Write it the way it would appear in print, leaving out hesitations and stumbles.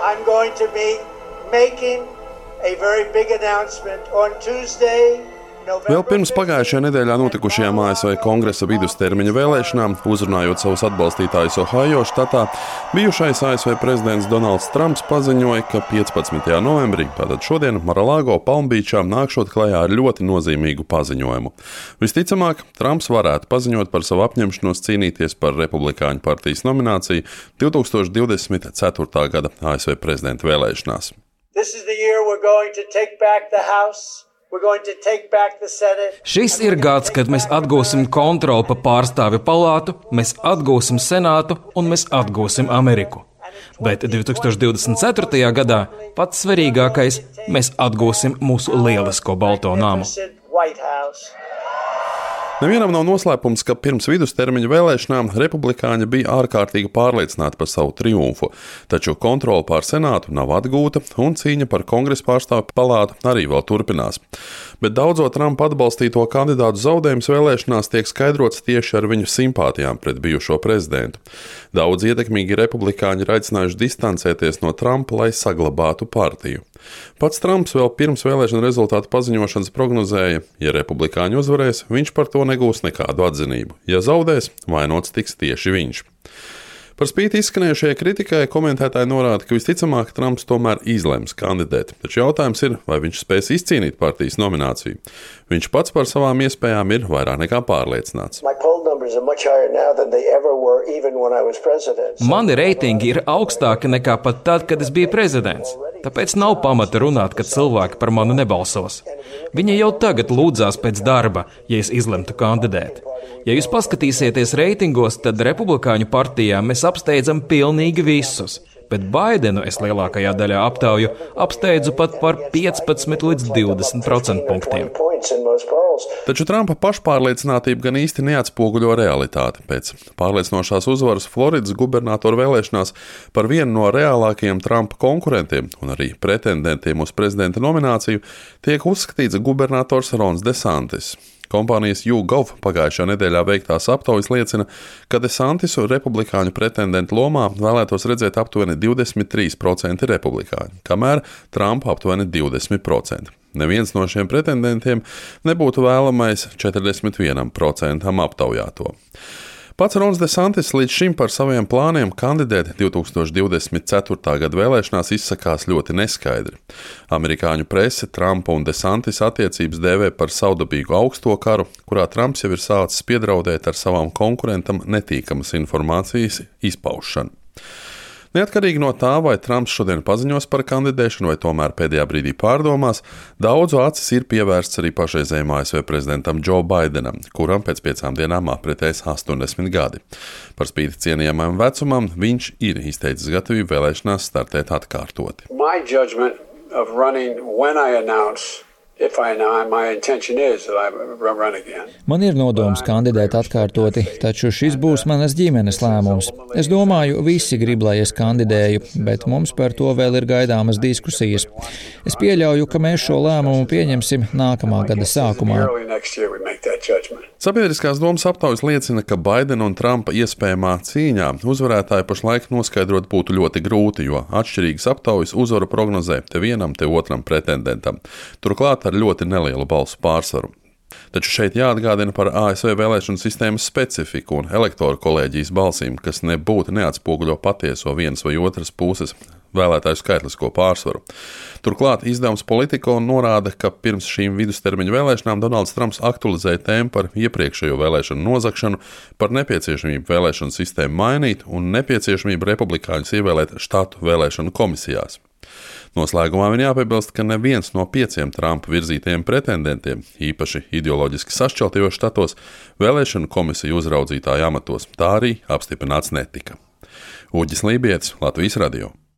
I'm going to be making a very big announcement on Tuesday. Vēl pirms pagājušajā nedēļā notikušajām ASV Kongresa vidustermiņa vēlēšanām, uzrunājot savus atbalstītājus Ohio štatā, bijušais ASV prezidents Donalds Trumps paziņoja, ka 15. novembrī, tātad šodien, Mar-a-Lago Palmbīčā nākšot klajā ar ļoti nozīmīgu paziņojumu. Visticamāk, Trumps varētu paziņot par savu apņemšanos cīnīties par Republikāņu partijas nomināciju 2024. gada ASV prezidenta vēlēšanās. This is the year we're going to take back the House. Šis ir gads, kad mēs atgūsim kontroli pa pārstāvju palātu, mēs atgūsim senātu un mēs atgūsim Ameriku. Bet 2024. gadā pats svarīgākais - mēs atgūsim mūsu lielisko balto namu. Nevienam nav noslēpums, ka pirms vidustermiņa vēlēšanām republikāņi bija ārkārtīgi pārliecināti par savu triumfu, taču kontrole pār senātu nav atgūta un cīņa par kongresa pārstāvju palātu arī vēl turpinās. Bet daudzo Trumpa atbalstīto kandidātu zaudējums vēlēšanās tiek skaidrots tieši ar viņu simpātijām pret bijušo prezidentu. Daudz ietekmīgi republikāņi ir aicinājuši distancēties no Trumpa, lai saglabātu partiju. Pats Trumps vēl pirms vēlēšanu rezultātu paziņošanas prognozēja, ja republikāņi uzvarēs, viņš par to negūs nekādu atzinību. Ja zaudēs, vainots tiks tieši viņš. Par spīti izskanējušajai kritikai komentētāji norāda, ka visticamāk Trumps tomēr izlems kandidēt, taču jautājums ir, vai viņš spēs izcīnīt partijas nomināciju. Viņš pats par savām iespējām ir vairāk nekā pārliecināts. Mani reitingi ir augstāki nekā pat tad, kad es biju prezidents. Tāpēc nav pamata runāt, ka cilvēki par mani nebalsos. Viņi jau tagad lūdzās pēc darba, ja es izlemtu kandidēt. Ja jūs paskatīsieties reitingos, tad Republikāņu partijā mēs apsteidzam pilnīgi visus, bet Baidenu es lielākajā daļā aptauju apsteidzu pat par 15 līdz 20% punktiem. Taču Trumpa pašpārliecinātība gan īsti neatspoguļo realitāti. Pēc pārliecinošās uzvaras Floridas gubernatoru vēlēšanās par vienu no reālākajiem Trumpa konkurentiem un arī pretendentiem uz prezidenta nomināciju tiek uzskatīts gubernators Rons DeSantis. Kompānijas YouGov pagājušajā nedēļā veiktās aptaujas liecina, ka DeSantisu republikāņu pretendentu lomā vēlētos redzēt aptuveni 23% republikāņu, kamēr Trumpa aptuveni 20%. Neviens no šiem pretendentiem nebūtu vēlamais 41% aptaujāto. Pats Rons DeSantis līdz šim par saviem plāniem kandidēt 2024. gada vēlēšanās izsakās ļoti neskaidri. Amerikāņu prese Trumpa un DeSantis attiecības dēvē par savdabīgu augsto karu, kurā Trumps jau ir sācis piedraudēt ar savām konkurentam netīkamas informācijas izpaušanu. Neatkarīgi no tā, vai Trumps šodien paziņos par kandidēšanu vai tomēr pēdējā brīdī pārdomās, daudzu acis ir pievērsts arī pašreizējiem ASV prezidentam Joe Bidenam, kuram pēc 5 dienām apritēs 80 gadi. Par spīti cienījamajam vecumam, viņš ir izteicis gatavību vēlēšanās startēt atkārtoti. Man ir nodoms kandidēt atkārtoti, taču šis būs manas ģimenes lēmums. Es domāju, visi grib, lai es kandidēju, bet mums par to vēl ir gaidāmas diskusijas. Es pieļauju, ka mēs šo lēmumu pieņemsim nākamā gada sākumā. Sabiedriskās domas aptaujas liecina, ka Baidena un Trumpa iespējamā cīņā uzvarētāju pašlaik noskaidrot būtu ļoti grūti, jo atšķirīgas aptaujas uzvaru prognozē te vienam, te otram pretendentam. Turklāt ar ļoti nelielu balsu pārsvaru. Taču šeit jāatgādina par ASV vēlēšanu sistēmas specifiku un elektoru kolēģijas balsīm, kas nebūtu neatspoguļo patieso vienas vai otras puses vēlētāju skaitlisko pārsvaru. Turklāt izdevums Politico norāda, ka pirms šīm vidustermiņa vēlēšanām Donalds Trumps aktualizēja tēmu par iepriekšējo vēlēšanu nozagšanu, par nepieciešamību vēlēšanu sistēmu mainīt un nepieciešamību republikāņus ievēlēt štatu vēlēšanu komisijās. Noslēgumā viņa jāpiebilst, ka neviens no 5 Trumpa virzītajiem pretendentiem, īpaši ideoloģiski sašķeltajos štatos, vēlēšanu komisiju uzraudzītāju amatos tā arī apstiprināts netika. Uģis Lībietis, Latvijas radio.